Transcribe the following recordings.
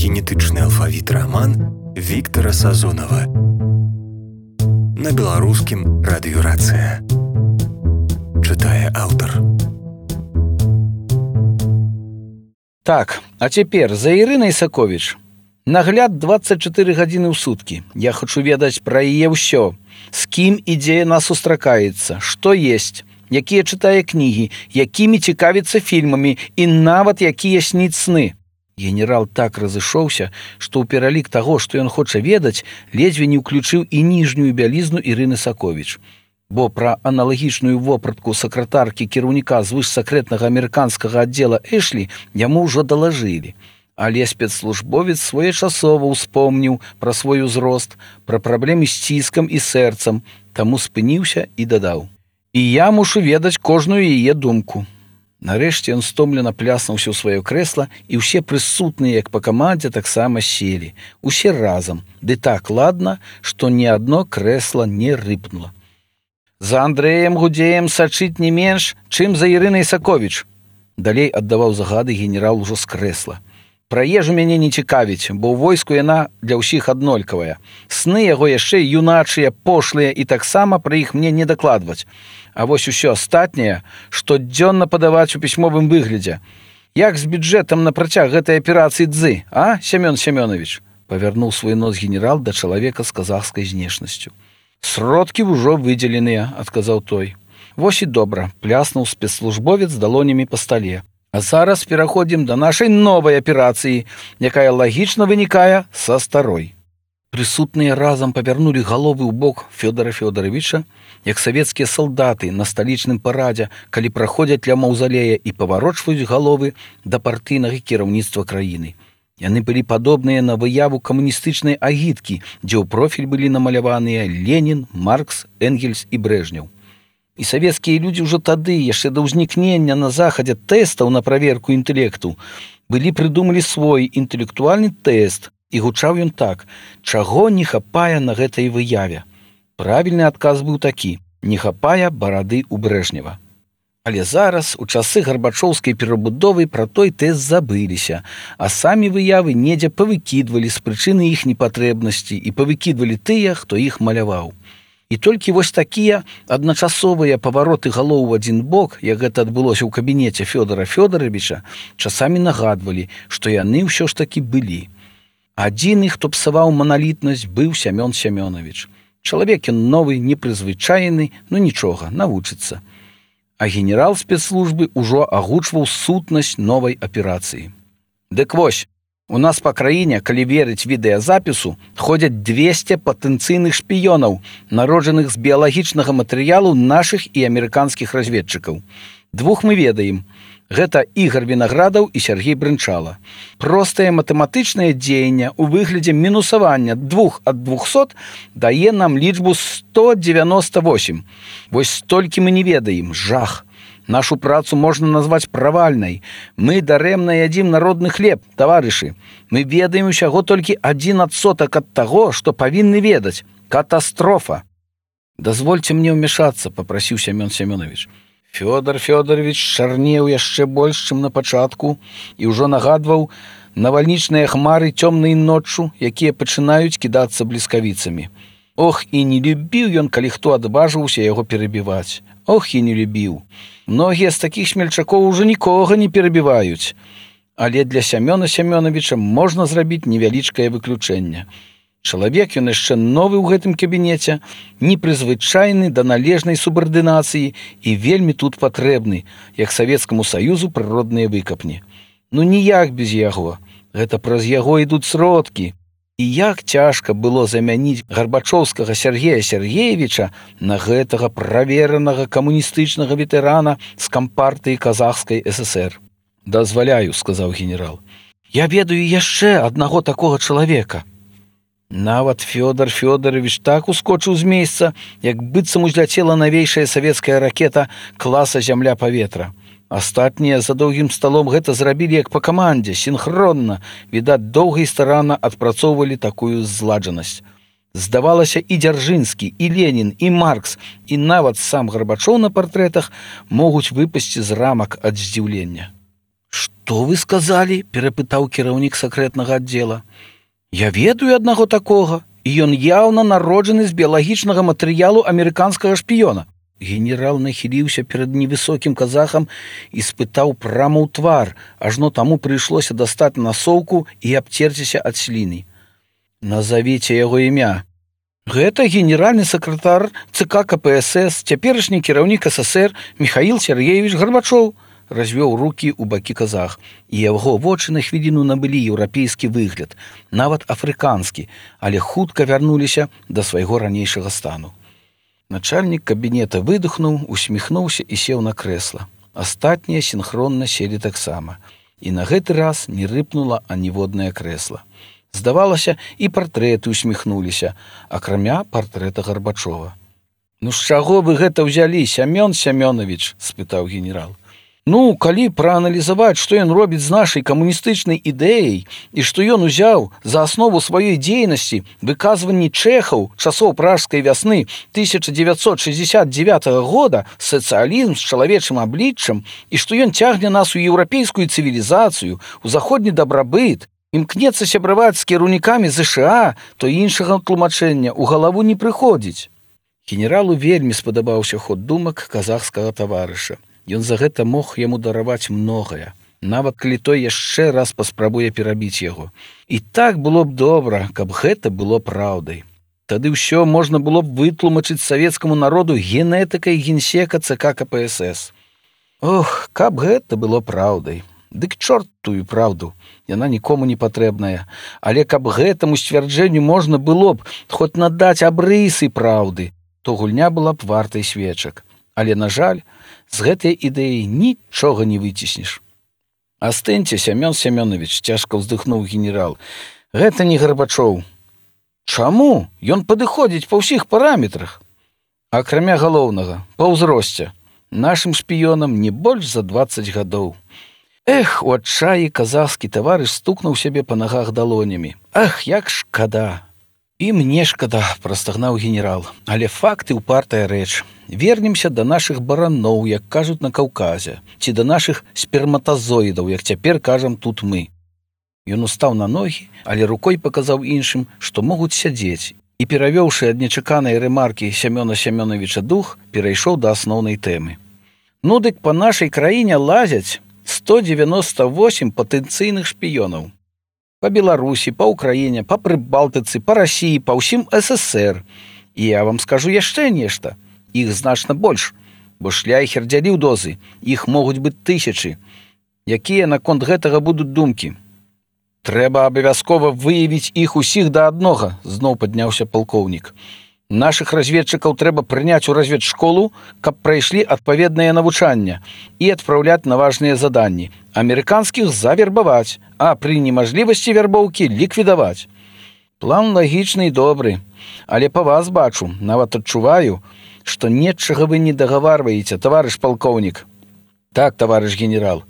генетычны алфавіт раман Віктара Сазонава. На беларускім радыёрацыя. Чытае аўтар. Так, а цяпер за Ірынай Саковіч. Нагляд 24 гадзіны ў суткі. Я хачу ведаць пра яе ўсё. З кім і дзе яна сустракаецца, што есць, якія чытае кнігі, якімі цікавіцца фільмамі і нават якія сніць сны. Генерал так разышоўся, што ў пералік таго, што ён хоча ведаць, ледзьве не ўключыў і ніжнюю бялізну Ірыны Саковіч. Бо пра аналагічную вопратку сакратаркі кіраўніка звышсакрэтнага амерыканскага аддзела Эшлі яму ўжо далажылі. Але спецслужбовец своечасова ўспомніў пра свой узрост, пра праблемы з ціскам і сэрцам, таму спыніўся і дадаў. І я мушу ведаць кожную яе думку. Нарэшце ён стомлена пляснуўся ў сваё крэсла, і ўсе прысутныя, як па камандзе, таксама селі. Усе разам, ды так ладна, што ні адно крэсла не рыпнула. За Андрэем Гудзеем сачыць не менш, чым за Ірынай Саковіч. Далей аддаваў загады генерал ужо з крэсла. Пра ежу мяне не цікавіць, бо ў войску яна для ўсіх аднолькавая. Сны яго яшчэ юначыя, пошлыя, і таксама пра іх мне не дакладваць. А вось усё астатняе штодзённа падаваць у пісьмовым выглядзе. Як з бюджэтам на працяг гэтай аперацыі дзы, а, Сямён Сямёнович? Павярнуў свой нос генерал да чалавека з казахскай знешнасцю. Сродкі ўжо выдзеленыя, адказаў той. Вось і добра, пляснуў спецслужбовец далонямі па стале. А зараз пераходзім да нашай новай аперацыі, якая лагічна вынікае са старой. Прысутныя разам павярнулі галовы ў бок Фёдара Фёдаровича, як савецкія салдаты на сталічным парадзе, калі праходзяць ля маўзалея і паварочваюць галовы да партыйнага кіраўніцтва краіны. Яны былі падобныя на выяву камуністычнай агіткі, дзе ў профіль былі намаляваныя Ленін, Маркс, Энгельс і Брэжнеў. І савецкія людзі ўжо тады, яшчэ да ўзнікнення на захадзе тэстаў на праверку інтэлекту, былі прыдумалі свой інтэлектуальны тэст, і гучаў ён так: чаго не хапае на гэтай выяве? Правільны адказ быў такі: не хапае барады ў Брэжнева. Але зараз, у часы гарбачоўскай перабудовы, пра той тэст забыліся, а самі выявы недзе павыкідвалі з прычыны іх непатрэбнасці і павыкідвалі тыя, хто іх маляваў. І толькі вось такія адначасовыя павароты галоў у адзін бок, як гэта адбылося ў кабінеце Фёдара Фёдаровича, часамі нагадвалі, што яны ўсё ж такі былі. Адзіны, хто псаваў маналітнасць, быў Сямён Сямёнович. Чалавек ён новы, непрызвычайны, ну нічога, навучыцца. А генерал спецслужбы ўжо агучваў сутнасць новай аперацыі. Дык вось, у нас па краіне, калі верыць відэазапісу, ходзяць 200 патэнцыйных шпіёнаў, народжаных з біялагічнага матэрыялу нашых і амерыканскіх разведчыкаў. Двух мы ведаем. Гэта Ігар Вінаградаў і Сяргей Брынчала. Простае матэматычнае дзеянне ў выглядзе мінусавання 2 ад 200 дае нам лічбу 198. Вось столькі мы не ведаем. Жах. Нашу працу можна назваць правальнай. Мы дарэмна ядзім народны хлеб, таварышы. Мы ведаем усяго толькі 1% ад таго, што павінны ведаць. Катастрофа. Дазвольце мне ўмяшацца, папрасіў Сямён Сямёнович. Фёдар Фёдарович чарнеў яшчэ больш, чым на пачатку, і ўжо нагадваў навальнічныя хмары цёмнай ноччу, якія пачынаюць кідацца бліскавіцамі. Ох, і не любіў ён, калі хто адважыўся яго перабіваць. Ох, і не любіў. Многія з такіх смельчакоў ужо нікога не перабіваюць. Але для Сямёна Сямёновича можна зрабіць невялічкае выключэнне. Чалавек ён яшчэ новы ў гэтым кабінеце, непрызвычайны да належнай субардынацыі і вельмі тут патрэбны, як Савецкаму Саюзу прыродныя выкапні. Ну ніяк без яго. Гэта праз яго ідуць сродкі. І як цяжка было замяніць гарбачоўскага Сяргея Сяргеевіча на гэтага праверанага камуністычнага ветэрана з кампартыі Казахскай ССР. Дазваляю, сказаў генерал. Я ведаю яшчэ аднаго такога чалавека. Нават Фёдар Фёдарович так ускочыў з месца, як быццам узляцела навейшая савецкая ракета класа зямля-паветра. Астатнія за доўгім сталом гэта зрабілі як па камандзе, сінхронна, відаць, доўга і старанна адпрацоўвалі такую зладжанасць. Здавалася, і Дзяржынскі, і Ленін, і Маркс, і нават сам Гарбачоў на партрэтах могуць выпасці з рамак ад здзіўлення. Што вы сказалі? Перапытаў кіраўнік сакрэтнага аддзела. Я ведаю аднаго такога, і ён яўна народжаны з біялагічнага матэрыялу амерыканскага шпіёна. Генерал нахіліўся перад невысокім казахам і спытаў прама ў твар, ажно таму прыйшлося дастаць насоўку і абцерціся ад сліны. Назавіце яго імя. Гэта генеральны сакратар ЦК КПСС, цяперашні кіраўнік СССР Михаил Сергеевич Горбачов, развёў рукі ў бакі казах, і яго вочы на хвіліну набылі еўрапейскі выгляд, нават афрыканскі, але хутка вярнуліся да свайго ранейшага стану. Начальнік кабінета выдохнуў, усміхнуўся і сеў на крэсла. Астатнія сінхронна селі таксама. І на гэты раз не рыпнула аніводнае крэсла. Здавалася, і партрэты усміхнуліся, акрамя партрэта Горбачова. «Ну з чаго вы гэта ўзялі, Сямён Сямёнович?» – спытаў генерал. «Ну, калі прааналізаваць, што ён робіць з нашай камуністычнай ідэяй і што ён узяў за аснову сваёй дзейнасці выказванні чэхаў часоў пражскай вясны 1969 года сацыялізм з чалавечым абліччам і што ён цягне нас у еўрапейскую цывілізацыю, у заходні дабрабыт, імкнецца сябраваць з кіраўнікамі ЗША, то іншага тлумачэння ў галаву не прыходзіць». Генералу вельмі спадабаўся ход думак казахскага таварыша. Ён за гэта мог яму дараваць многае, нават калі той яшчэ раз паспрабуе перабіць яго. І так было б добра, каб гэта было праўдай. Тады ўсё можна было б вытлумачыць савецкаму народу генетыкай генсека ЦК КПСС. Ох, каб гэта было праўдай. Дык чорт тую праўду, яна нікому не патрэбная. Але каб гэтаму сцвярджэнню можна было б хоць надаць абрысы праўды, то гульня была б вартай свечак. Але, на жаль, з гэтай ідэі нічога не выціснеш. «Астыньце, Сямён Сямёнович», – цяжка ўздыхнуў генерал. «Гэта не Горбачоў». «Чаму? Ён падыходзіць па ўсіх параметрах». «Акрамя галоўнага, па ўзросце. Нашым шпіёнам не больш за 20 гадоў». Эх, у адчаі казахскі таварыш стукнуў сябе па нагах далонямі. «Ах, як шкада!» «І мне шкада», – прастагнаў генерал, – «але факты ўпартая рэч. Вернемся да нашых бараноў, як кажуць на Каўказе, ці да нашых сперматазоідаў, як цяпер кажам тут мы». Ён устаў на ногі, але рукой паказаў іншым, што могуць сядзець, і, перавёўшы ад нечаканай рэмаркі Сямёна Сямёновича дух, перайшоў да асноўнай тэмы. «Ну дык па нашай краіне лазяць 198 патэнцыйных шпіёнаў. Па Беларусі, па Ўкраіне, па Прыбалтыцы, па Расіі, па ўсім СССР. І я вам скажу яшчэ нешта. Іх значна больш, бо Шляйхер дзяліў дозы. Іх могуць быць тысячы. Якія наконт гэтага будуць думкі? Трэба абавязкова выявіць іх усіх да аднога, зноў падняўся палкоўнік. Нашых разведчыкаў трэба прыняць у разведшколу, каб прайшлі адпаведнае навучанне і адпраўляць на важныя заданні. Амерыканскіх завербаваць, а пры немажлівасці вярбоўкі ліквідаваць. План лагічны і добры, але па вас бачу, нават адчуваю, што нечага вы не дагаварваеце, таварыш палкоўнік. Так, таварыш генерал,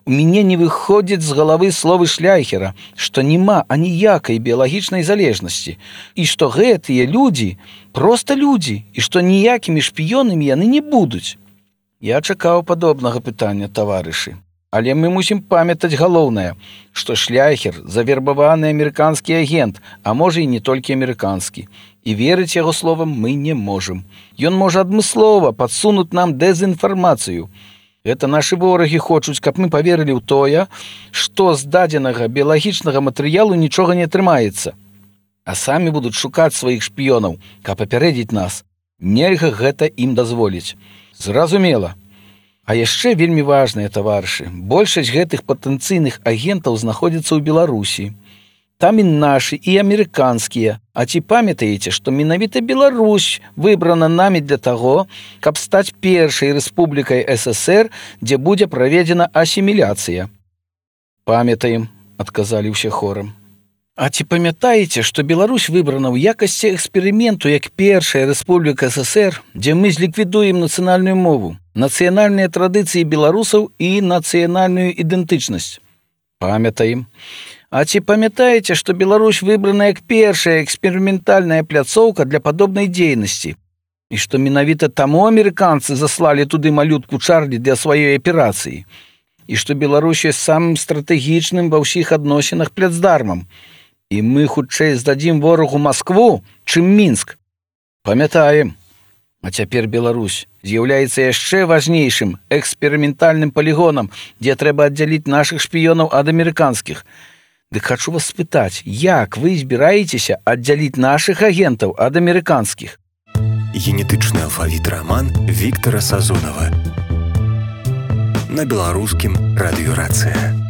у мяне не выходзіць з галавы словы Шляйхера, што няма аніякай біялагічнай залежнасці, і што гэтыя людзі проста людзі, і што ніякімі шпіёнамі яны не будуць. Я чакаў падобнага пытання, таварышы. Але мы мусім памятаць галоўнае, што Шляйхер завербаваны амерыканскі агент, а можа і не толькі амерыканскі. І верыць яго словам мы не можам. Ён можа адмыслова падсунуць нам дэзінфармацыю. Гэта нашы ворагі хочуць, каб мы паверылі ў тое, што з дадзенага біялагічнага матэрыялу нічога не атрымаецца. А самі будуць шукаць сваіх шпіёнаў, каб папярэдзіць нас. Нельга гэта ім дазволіць. Зразумела. А яшчэ вельмі важныя, таварышы, большасць гэтых патэнцыйных агентаў знаходзіцца ў Беларусі. Там і нашы, і амерыканскія. А ці памятаеце, што менавіта Беларусь выбрана намі для таго, каб стаць першай рэспублікай СССР, дзе будзе праведзена асіміляцыя? Памятаем, адказалі ўсе хорам. А ці памятаеце, што Беларусь выбрана ў якасці эксперыменту як першая рэспубліка СССР, дзе мы зліквідуем нацыянальную мову, нацыянальныя традыцыі беларусаў і нацыянальную ідэнтычнасць? Памятаем. А ці памятаеце, што Беларусь выбрана як першая эксперыментальная пляцоўка для падобнай дзейнасці? І што менавіта таму амерыканцы заслалі туды малютку Чарлі для сваёй аперацыі? і што Беларусь ёсць самым стратэгічным ва ўсіх адносінах плацдармам. І мы хутчэй здадзім ворагу Маскву, чым Мінск. Памятаем. А цяпер Беларусь з'яўляецца яшчэ важнейшым эксперыментальным палігонам, дзе трэба аддзяліць нашых шпіёнаў ад амерыканскіх. Дык хачу вас спытаць, як вы збіраецеся аддзяліць нашых агентаў ад амерыканскіх? Генетычны алфавіт раман Віктара Сазонава. На беларускім радыё «Рацыя».